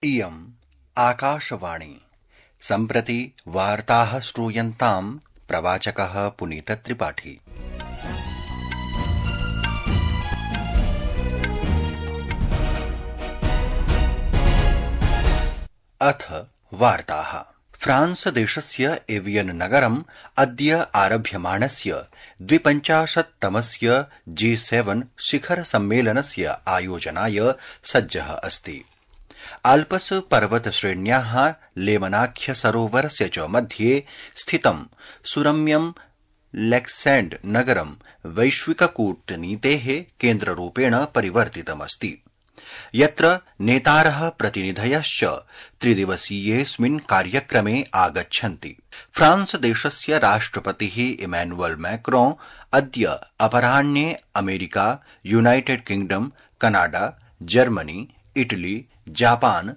इयम् आकाशवाणी। सम्प्रति वार्ताः श्रूयन्ताम्। प्रवाचकः पुनीतत्रिपाठी। अथ वार्ताः। फ्रांस देशस्य एवियन नगरम् अद्य आरभ्यमाणस्य 52तमस्य G7 शिखर सम्मेलनस्य आयोजनाय सज्जः अस्ति। आल्पस् पर्वतश्रेण्याः लेमनाख्य सरोवरस्य च मध्ये स्थितं सुरम्यं लेक्सेण्ड् नगरं वैश्विककूटनीतेः केन्द्ररूपेण परिवर्तितमस्ति, यत्र नेतारः प्रतिनिधयश्च त्रिदिवसीयेऽस्मिन् कार्यक्रमे आगच्छन्ति। फ्रांस देशस्य राष्ट्रपतिः इमैनुअल मैक्रोन् अद्य अपराह्ने America, United kingdom, Canada, Germany, Italy, Japan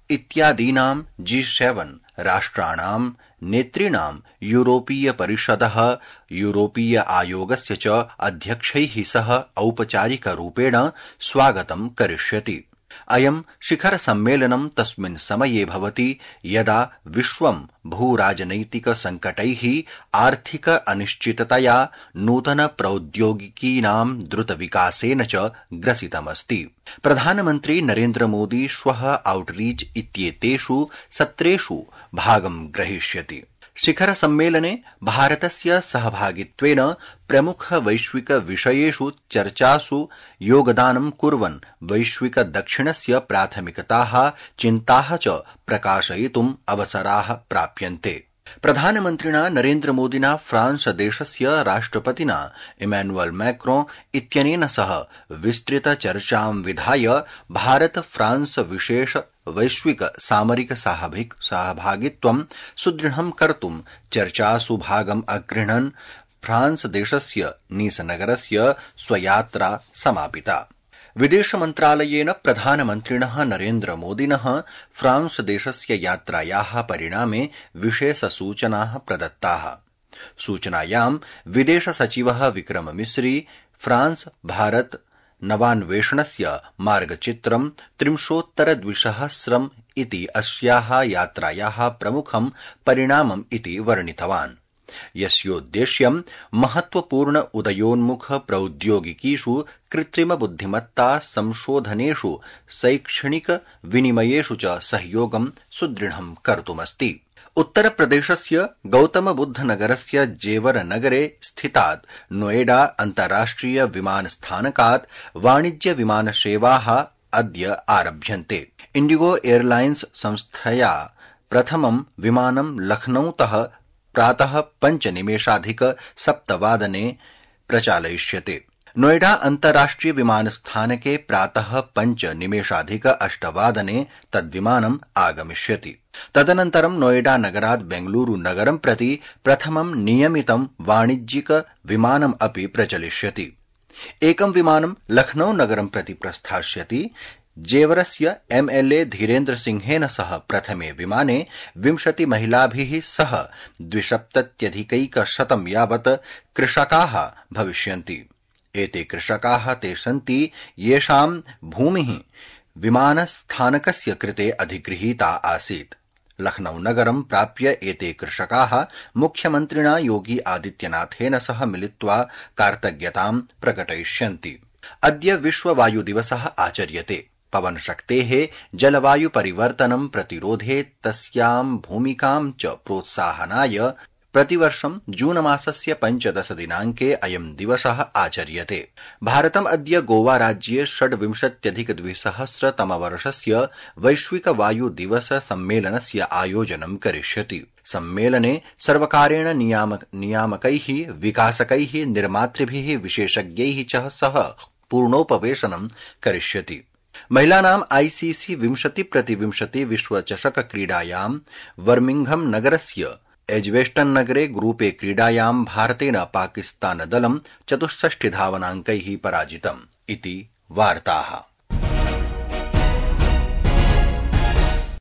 इत्यादीनां G7 राष्ट्राणां नेतॄणां यूरोपीय परिषदः, यूरोपीय आयोगस्य च अध्यक्षैः सह औपचारिकरूपेण स्वागतं करिष्यति। अयं शिखर सम्मेलनं तस्मिन् समये भवति यदा विश्वं भूराजनैतिक संकटैः, आर्थिक अनिश्चिततया, नूतन प्रौद्योगिकीनां द्रुतविकासेन च ग्रसितमस्ति। प्रधानमन्त्री नरेन्द्र मोदी श्वः आउटरीच इत्येतेषु सत्रेषु भागं ग्रहीष्यति। शिखर सम्मेलने भारतस्य सहभागित्वेन प्रमुख वैश्विक विषयेषु चर्चासु योगदानं कुर्वन् वैश्विक दक्षिणस्य प्राथमिकताः, चिन्ताः च प्रकाशयितुम् अवसराः प्राप्यन्ते। प्रधानमन्त्रिणा नरेन्द्र मोदिना फ्रांस देशस्य राष्ट्रपतिना इमैनुअल मैक्रोन् इत्यनेन सह विस्तृत चर्चां विधाय भारत फ्रांस विशेष वैश्विक सामरिक सहभागित्वं सुदृढं कर्तुं चर्चासु भागम् अगृह्णन् फ्रांस देशस्य नीस नगरस्य स्वयात्रा समापिता। विदेश मन्त्रालयेन प्रधानमन्त्रिणः नरेन्द्र मोदिनः फ्रांस देशस्य यात्रायाः परिणामे विशेषसूचनाः प्रदत्ताः। सूचनायां विदेश सचिवः विक्रम मिस्री फ्रांस भारत नवान्वेषणस्य मार्गचित्रं 30,200 इति अस्याः यात्रायाः प्रमुखं परिणामम् इति वर्णितवान्, यस्योद्देश्यं महत्वपूर्ण उदयोन्मुख प्रौद्योगिकीषु, कृत्रिम बुद्धिमत्ता संशोधनेषु, शैक्षणिक विनिमयेषु च सहयोगं सुदृढं कर्तुमस्ति। उत्तरप्रदेशस्य गौतमबुद्धनगरस्य जेवर नगरे स्थितात् नोएडा अन्ताराष्ट्रिय विमानस्थानकात् वाणिज्य विमानसेवाः अद्य आरभ्यन्ते। इण्डिगो एयरलाइन्स संस्थया प्रथमं विमानं लखनऊतः प्रातः 5:07 प्रचालयिष्यते। नोएडा अन्ताराष्ट्रिय विमानस्थानके प्रातः 5:08 तद्विमानम् आगमिष्यति। तदनन्तरं नोएडा नगरात् बेंगलुरु नगरं प्रति प्रथमं नियमितं वाणिज्यिक विमानम् अपि प्रचलिष्यति। एकं विमानं लखनऊ नगरं प्रति प्रस्थास्यति। जेवरस्य MLA धीरेन्द्र सिंहेन सह प्रथमे विमाने 20 महिलाभिः सह 270 यावत् कृषकाः भविष्यन्ति। एते कृषकाः ते सन्ति येषां भूमिः विमानस्थानकस्य कृते अधिगृहीता आसीत्। लखनऊ नगरं प्राप्य एते कृषकाः मुख्यमन्त्रिणा योगी आदित्यनाथेन सह मिलित्वा कार्तज्ञतां प्रकटयिष्यन्ति। अद्य विश्व वायु दिवसः आचर्यते। पवनशक्तेः जलवायु परिवर्तनं प्रतिरोधे तस्यां भूमिकां च प्रोत्साहनाय प्रतिवर्षं जून मासस्य 15 दिनाङ्के अयं दिवसः आचर्यते। भारतम् अद्य गोवा राज्ये 26,200 तमवर्षस्य वैश्विक वायु दिवस सम्मेलनस्य आयोजनं करिष्यति। सम्मेलने सर्वकारेण नियामकैः, विकासकैः, निर्मातृभिः, विशेषज्ञैः च सह पूर्णोपवेशनं करिष्यति। महिलानां ICC 20x20 विश्वचषक क्रीडायां बर्मिंघम नगरस्य एज्बेस्टन नगरे ग्रुपे क्रीडायां भारतेन पाकिस्तान दलं 64 धावनाङ्कैः पराजितम् इति वार्ताः।